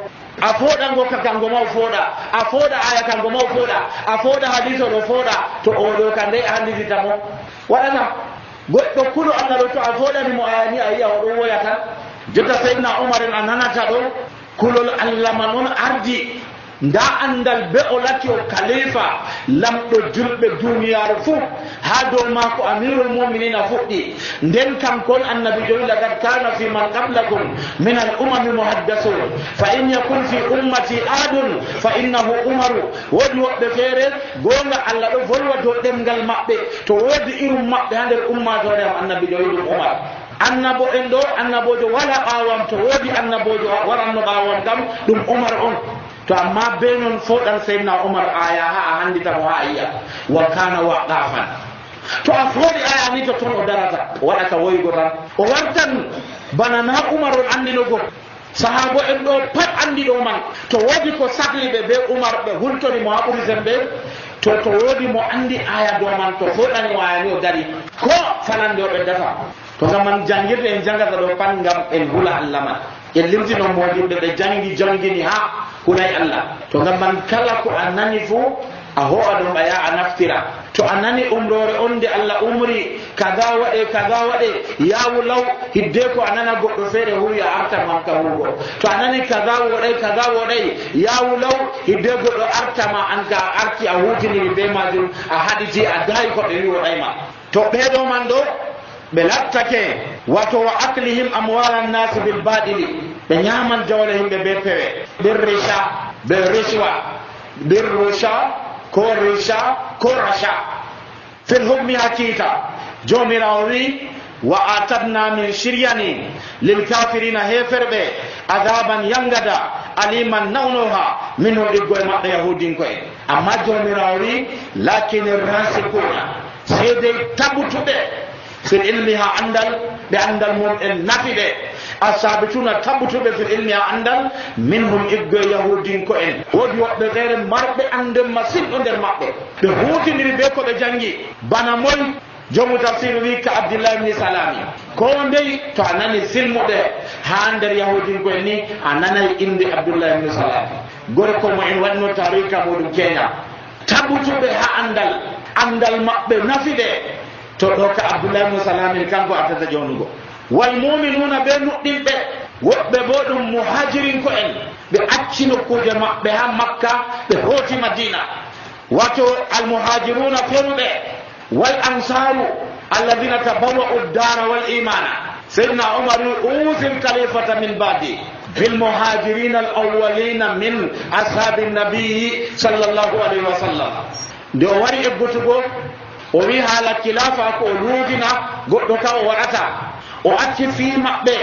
a foɗango ka kango ma o foɗa a foɗa aya kango ma o foɗa a foɗa hadis o ɗo foɗa to oɗo ka nde a handititamo waɗata goɗɗo kulo Allah ɗo to a foɗanimo ayani a yiya oɗo woya tan jotta seydna Umar en a nanata ɗo kulol Allah man on ardi nda andal be o lati o khalifa lamɗo julɓe duniyaaru fuu ha dow maako amirul muminina fuɗɗi nden kankon annabi joyi laqad kana fi man qablakum min al umami muhaddasun fa in yakun fi ummati adun fa innahu umaru woodi woɓɓe feere gonga Allah ɗo volwa dow ɗemgal maɓɓe to woodi irum maɓɓe ha nder ummatore am annabi joyi ɗum Umar annabo en ɗo annabojo wala ɓawam to woodi annabojo waranno ɓawam kam ɗum Umar on to amma be non foɗan seydna Umar aya ha a handitamo ha a yiya wa kana waqafan to a foɗi aya ni to toon o darata o waɗata woygo tan o wartan bana na Umar on andinogo sahabo en ɗo pat andi ɗo man to woodi ko sahli ɓe be Umar ɓe hultorimo ha ɓuri sembe to woodi mo andi aya dow man to foɗani o aya ni o dari ko falande o ɓeddata to gam man jangirde en jangata ɗo pat gam en hula Allah man en limtino modimɓe ɓe jangini ha hulay Allah to gam man kala ko a nani fuu a ho'a ɗum ɓaya a naftira to a nani umrore on nde Allah umri kaza waɗe yawu law hidde ko a nana goɗɗo feere huwi a arta man ka hugo to a nani kaza woɗay yawu law hidde goɗɗo artama an ka a arti a hutiniri be majum a haɗiti a dayi ko ɓe wi woɗayma to ɓeɗo man ɗo ɓe lattake wato wa aklihim amwala nnasi bil baɗili ɓe ñaman jawle himɓe be pewe ɓir richa ɓe riswa ɓir rusha ko risha ko rasha fil hukmi hakita jomirawo wi wa atadna min shiryani lil kafirina heferɓe adaban yangada aliman nawnoha min hoɗiggoye maɓɓe yahudinkoye amma jomirawo wi lakin rasikuna seedey tabutuɓe fil ilmi ha andal ɓe andal mum en nafi ɓe asabituna tabutuɓe fil ilmi ha andal minhum iggoye yahudinko en woodi woɓɓe feere marɓe ande masinɗo nder maɓɓe ɓe hutiniri be ko ɓe jangi bana moy jomu tafsir wi ka abdillah ibni salami ko ndey to a nani silmuɓe ha nder yahudinko en ni a nanay inde abdullah ibni salami gorko mo en waɗno tarika muɗum keña tabutuɓe ha andal maɓɓe nafi ɓe to ɗo ka abdullah ibni salami kanko artata ƴewnugo wal muminuna ɓe nuɗɗinɓe woɓɓe bo ɗum muhajirinko en ɓe acci nokkuje maɓɓe ha makka ɓe hooti madina wato almuhajiruna feruɓe wal ansaru alladina tabawwa'u ddara wal imana sayyidina umar usil khalifata min ba'di bil muhajirin al awwalina min ashabi nabii sallallahu alaihi wasallam nde o wari eggutugo o wi haala khilafa ko o luudina goɗɗo ka o waɗata o acci fii maɓɓe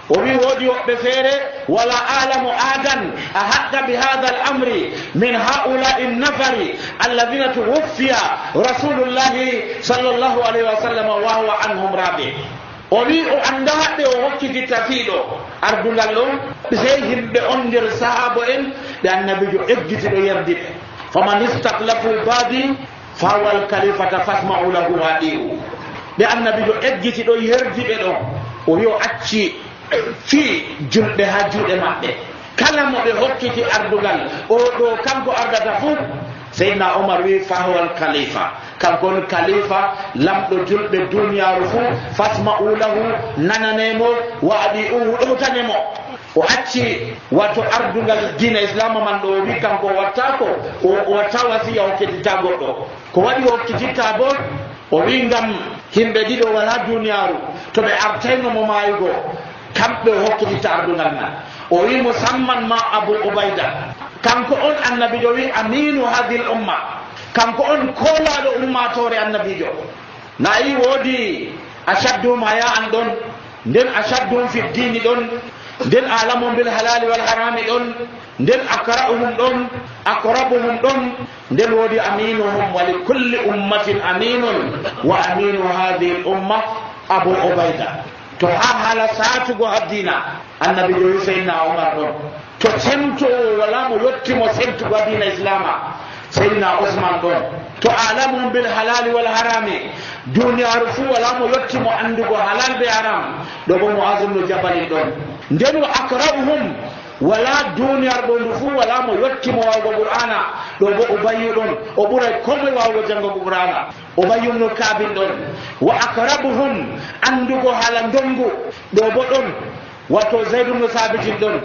o wi woodi woɓɓe feere wala alamu adan a haɗɗa bi hada al amri min haulai nnafari alladina tuwuffiya rasulullahi sallllahu alayhi wa sallam wa huwa anhum rabi o wi o annda ɓe o hokkititta fiiɗo ardungal ɗon sey yimɓe on nder sahaba en ɓe annabijo eggitiɗo yerdiɓe faman istaklafu baadi fawal kalifata fasma'u lahu waɗi'u ɓe annabijo eggitiɗo yerdiɓe ɗon o wi o acci fii julɓe ha juuɗe maɓɓe kala mo ɓe hokkiti ardugal o ɗo kanko ardata fuu seydna omar wi fahwal khalifa kanko on khalifa lamɗo julɓe duniyaru fuu fasma'u lahu nananemo wa adi'uhu ɗowtanemo o acci wato ardugal dina islama man ɗo o wi kanko o wattako o watta wasiya hokkititta goɗɗo ko waɗi hokkititta bo o wi ngam himɓe ɗiɗo wala duniyaru to ɓe artaynomo mayugo kamɓe hokkititta ardungal man o wi musamman ma abou ubayda kanko on annabijo wi aminu hadil umma kanko on kolaɗo ummatore annabijo nayi woodi achaddum haya an ɗon nden achaddum fi dini ɗon nden alamu bil halali wal harami ɗon nden akra'uhum ɗon aqrabuhum ɗon nden woodi aminuhum wa li kulli ummatin aminun wa aminu hadihi l umma abou ubayda to ha haala satugo haddina annabijo wi seydna omar ɗon to semtowo wala mo yettimo semtugo haddina islama seydna ousmane ɗon to alamu bil halali wal harami duniyaru fuu wala mo yettimo andugo halal be haram ɗo bo moazumno jabalin ɗon nden wa akra'uhum wala duniyar ɗo ndu fuu wala mo yettimo wawgo qur'ana ɗo bo ubayyu ɗon o ɓuray komoye wawgo jangogo qur'ana ubayyum no kabin ɗon wa akrabuhum andugo haala ndongu ɗo bo ɗon wato zaydum no sabitin ɗon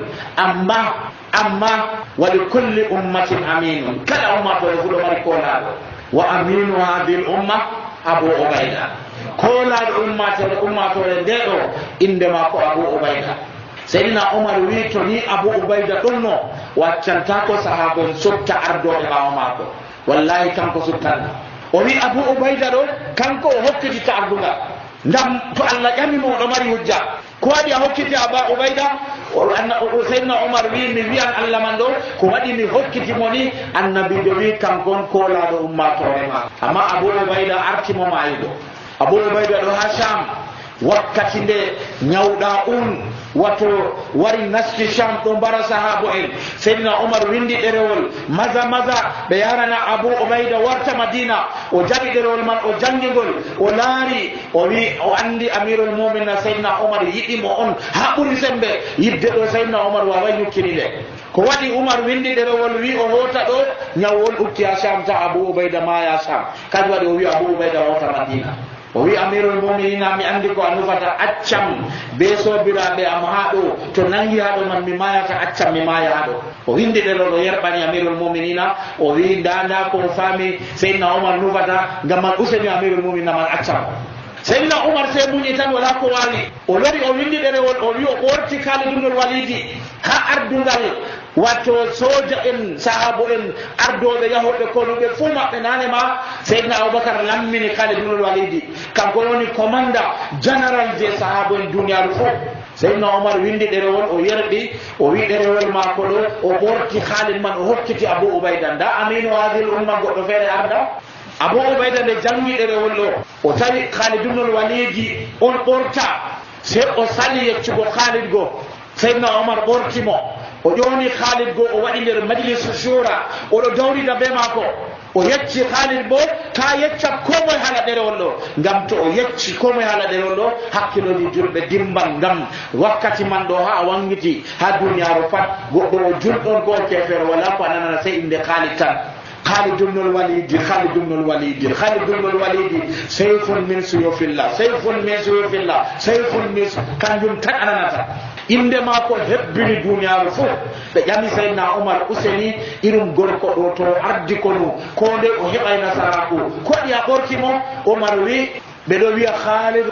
amma wa li kulli ummatin aminun kala ummatore fu ɗo mari kolaɗo wa aminu hadhihi l umma abou ubayda kolaɗo ummatore nde ɗo inde mako abou ubayda seydina omar wi to ni abou ubayda ɗon no waccantako sahabon sotta ardoɓe ɓawa mako wallahi kanko suttanno o wi abou ubayda ɗo kanko o hokkititta ardungal ngam to allah ƴamimo oɗo mari hujja ko waɗi a hokkiti aba ubayda seydna omar wi mi wiyan allah man ɗo ko waɗi mi hokkitimo ni annabijo wi kankon kolaɗo ummatore ma amma abou ubayda artimo mayugo abou ubayda ɗo ha sham wakkati nde ñawɗa wato wari naski Sham ɗo mbara sahabo en. Seydina Umar windi ɗerewol maza ɓe yarana Abu Ubayda warta Madina. O jaɓi ɗerewol man o jangigol o laari o wi o andi amirul mu'minin Seydina Umar yiɗimo on ha ɓuri sembe yidde ɗo. Seydina Umar wawai yukkiniɗe ko waɗi Umar windi ɗerewol wi o hota ɗo ñawwol ukki ha Sham ta Abu Ubayda maya Sham. Kadi waɗi o wi Abu Ubayda warta Madina. O wi amirul mu'minina mi andi ko a nufata accam be sobiraɓe am ha ɗo to nangi ha ɗo man mi mayata accam mi maya ha ɗo. O windi ɗerewol o yerɓani amirul mu'minina o wi nda ko fami Seydina Umar nufata ngam man useni amirul mu'minina man accam. Seydina Umar sai muñi tan wala ko wali o lori o windi ɗerewol o wi o ɓorti Khalid ibn al-Walid ha ardungal wato soja en sahabo en ardoɓe yahoɓe konuɓe fuu maɓɓe nane ma Seydina Aboubacar lammini Khalid ibn al-Walid kanko woni commanda général je sahabo en duniyaru fof. Seydina Umar windi ɗerewol o yerɓi o wi ɗerewol mako ɗo o ɓorti Khalid man o hokkiti Abu Ubayda nda aminu hadil umma goɗɗo feere arda. Abu Ubayda nde jangi ɗerewol ɗo o tawi Khalid ibn al-Walid on ɓorta se o sali yeccugo Khalid go. Seydina Umar ɓortimo o ƴoni Khalid go o waɗi nder majlisu shura oɗo dawrida be mako o yecci Khalid bo ta yecca komoye haala ɗerewol ɗo ngam to o yecci komoye haala ɗerewol ɗo hakkiloji julɓe dimban ngam wakkati man ɗo ha wangiti ha duniyaru pat goɗɗo o julɗon ko kefere wala ko ananana sey inde Khalid tan. Khalid ibn al-Walid sayfun min suyufillah sayfun min kanjum tan ananata inde mako hebbini duniyaru fof. ɓe ƴami Seydina Umar useni irum gorko ɗo to ardi konu ko nde o heɓay nasaraku koɗi a ɓorkimo. Umar wi ɓeɗo wiya Khalid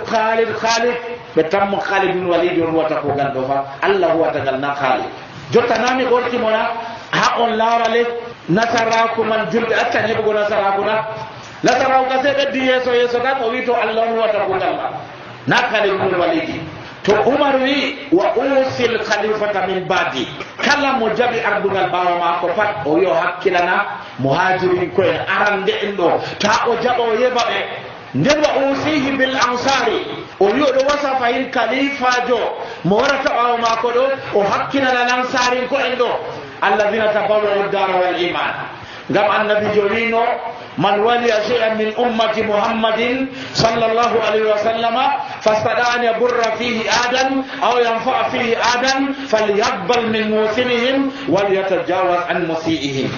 ɓe tammo Khalid ibn Walid on wata ko gal ɗo fa Allah huwata gal na Khalid jotta nami ɓorkimona ha on laarale nasaraku man julɓe accan heɓugo nasaraku nasaraku ka se ɓeddi yeeso tan o wi to Allah on huwata ko gal na Khalid ibn Walid. To Umar wi wa usil khalifata min badi kala mo jaɓi ardungal ɓawo mako pat o wi o hakkilana muhajirin koyen arande en ɗo ta o jaɓa o yeɓa ɓe. nden wa usihi bil ansari o wi oɗo wasa fayin khalifajo mo warata ɓawo mako ɗo o hakkilana lansarin ko en ɗo alladhina tabawwa'u ad-dara wal iman. ngam annabijo wino man waliya shay'an min ummati muhammadin sallallahu alaihi wa sallama fastada'a an yaburra fihi adan aw yanfa'a fihi adan falyaqbal min musinihim wal yatajawaz an musiihim.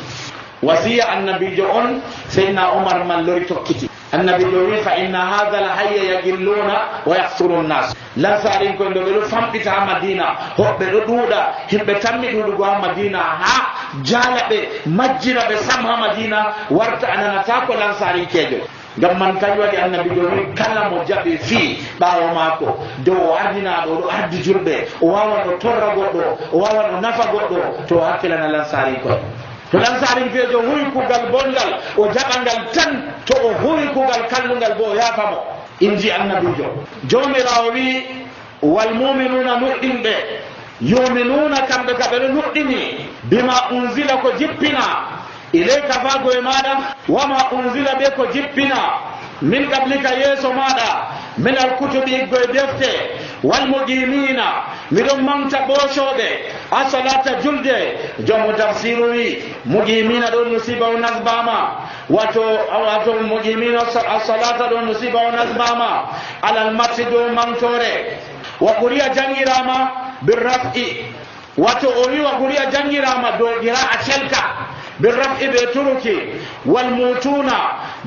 wasiya annabijo on Seydina Umar man lori tokkiti annabijo wi fa inna hadha al hayya yaqilluna wa yahsuru an-nas. lansarin ko ndo ɓeɗo famɗita ha Madina hoɓɓe ɗo ɗuuɗa himɓe tammi ɗuɗugo ha Madina ha jaala ɓe majjina ɓe sam ha Madina warta ananata ko lansarin kejo. ngam man kañ waɗi annabijo wi kala mo jaɓi fii ɓawo maako dow o ardinaɗo oɗo ardi julɓe o wawan o torra goɗɗo o wawan o nafa goɗɗo to o hakkilana lansarin koye. to lansarin feejo huwi kugal bongal o jaɓangal tan to o huwi kugal kallungal bo o yaafamo inji annabijo. jomirawo wi wal muminuna nuɗɗinɓe yuminuna kamɓe ka ɓeɗo nuɗɗini bima unzila ko jippina ilayka fago e maɗa wama unzila ɓe ko jippina min qablika yeeso maɗa min alkutubi iggoye defte walmuqimina miɗon manta ɓoocoɓe a salata julde jomo tafsiru wi muqimina ɗon musiba o nasbama wato muqimina a salata ɗon musiba o nasbama alal matti dow mantore wa quriya jangirama birraf'i wato o wi wa quriya jangirama dow qira a celka birraf'i ɓe turuki walmutuna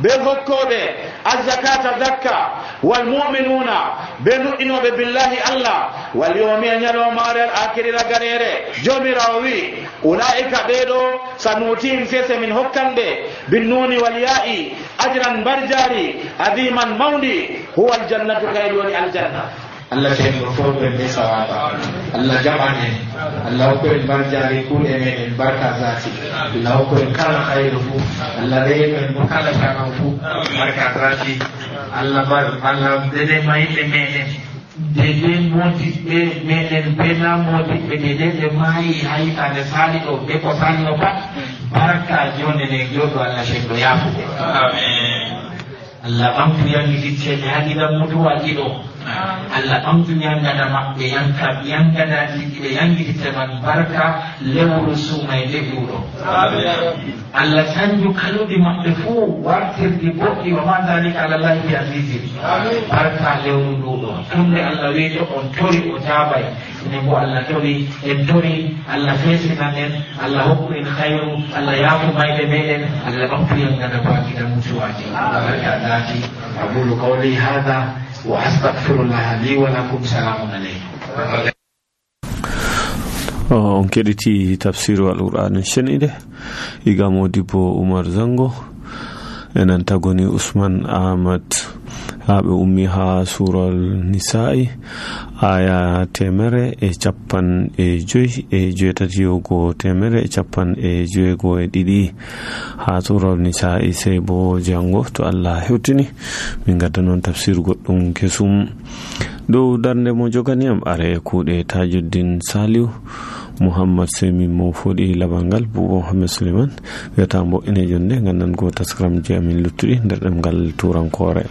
ɓe hokkoɓe azzakata zakka walmuminuna ɓe nuɗɗinoɓe billahi Allah wal yawmi ñalomare al akhiri raganere jomirawo wi ulaika ɓeɗo sanutihim sese min hokkanɓe binnuni wal ya'i ajran barjari adiman mawdi huwa aljannatu kayɗi woni aljanna. Allah ceerno fof ɓe ɓe sawaba Allah jaɓan en Allah hokku en barjari kuuɗe meɗen barka zati Allah hokku en kala hayru fuu Allah reynu en mo kala tanam fuu barka zati Allah dede mayɓe meɗen dede modiɓɓe meɗen bena modiɓɓe dede ɓe maayi haytande sali ɗo ɓe ko sali o pat barka jonde nden joɗo Allah ceerno yaafude amin Allah ɓamtu yangi dicceɗe haqiɗa mutuwa ɗiɗo Allah ɓamtu yangada maɓɓe yangadaji ɓe yangitite man barka lewru sumayde ɓuuɗo Allah sanju kaluɗi maɓɓe fuu wartirdi boɗɗi wa ma dalika ala llahi bi azizi barka lewru nduɗo tunde Allah wiiɗo on tori o jaabay ene bo Allah tori en tori Allah fesina en Allah hokku en hayru Allah yaafu mayde meɗen Allah ɓamtu yangada bakida mutuwaji barka dati أقول قولي هذا وأستغفر الله لي ولكم سلام عليكم. On keɗiti tafsiru al-Qur'an shenide iga Modibo Umar Zango enan tagoni Usman Ahmad haɓe ummi ha sural Nisa'i aya 150 temere e capan e joweego e ɗiɗi ha sural Nisa'i sey bo jango to Allah hewtini min gadda noon tafsir goɗɗum kesum dow darnde mo joganiyam are kuuɗe Tajuddin Saliu Muhammad Semi mo foɗi labangal Buuba Muhammad Suleiman wiyata mbo ine jonde gandan go taskram je amin luttuɗi nder ɗemgal turankore.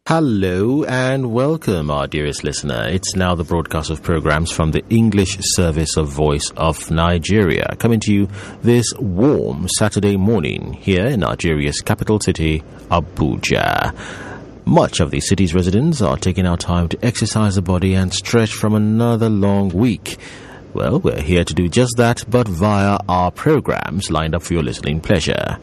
Hello and welcome, our dearest listener. It's now the broadcast of programs from the English Service of Voice of Nigeria, coming to you this warm Saturday morning here in Nigeria's capital city, Abuja. Much of the city's residents are taking our time to exercise the body and stretch from another long week. Well, we're here to do just that, but via our programs lined up for your listening pleasure.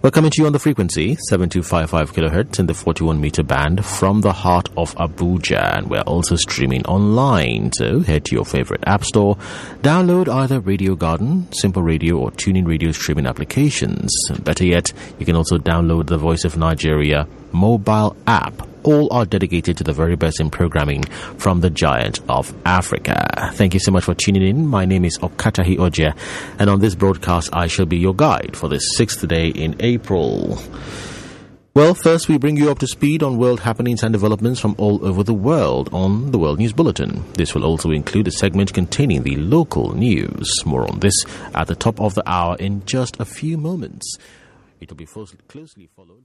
We're coming to you on the frequency 7255 kilohertz in the 41-meter band from the heart of Abuja, and we're also streaming online. So head to your favorite app store, download either Radio Garden, Simple Radio, or TuneIn Radio streaming applications. Better yet, you can also download the Voice of Nigeria mobile app. All are dedicated to the very best in programming from the giant of Africa. Thank you so much for tuning in. My name is Okatahi Oje, and on this broadcast I shall be your guide for this 6th day in April. Well, first we bring you up to speed on world happenings and developments from all over the world on the World News Bulletin. This will also include a segment containing the local news. More on this at the top of the hour in just a few moments. It will be closely followed.